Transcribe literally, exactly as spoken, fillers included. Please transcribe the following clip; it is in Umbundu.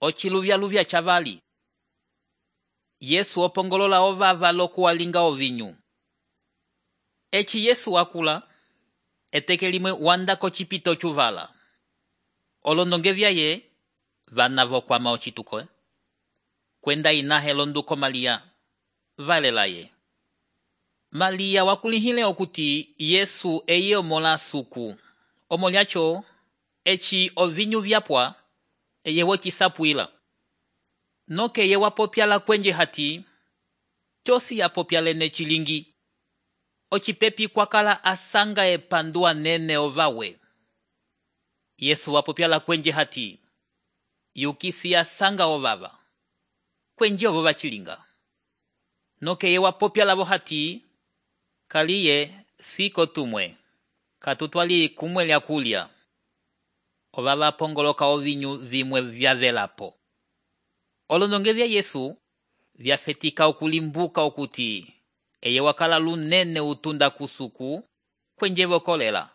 ociluvyaluvya chavali. Yesu opongolola ovava lokuwalinga ovinyu. Eci Yesu wakula, eteke limwe wanda kocipito chuvala. Olondonge vyaye vana vokwama ocituko. Kwenda inahe londuko Malia valelaye. Malia wakulihile okuti Yesu eye omola suku. Omolyacho eci ovinyu vyapwa eye wocisapwila. Noke eye wapopyala kwenje hati chosi yapopyalene chilingi. Ocipepi kwakala asanga epandua nene ovawe. Yesu wapopyala kwenje hati yukisi asanga ovava. Kwenje ovo vachilinga. Noke eye wapopyala vo hati kaliye siko tumwe. Katutwali kumwe lya kulya. Ovava pongoloka ovinyu vimwe vyavelapo. Olondonge vya Yesu vyafetika okulimbuka okuti eye wakala lunene utunda kusuku kwenje vokolela.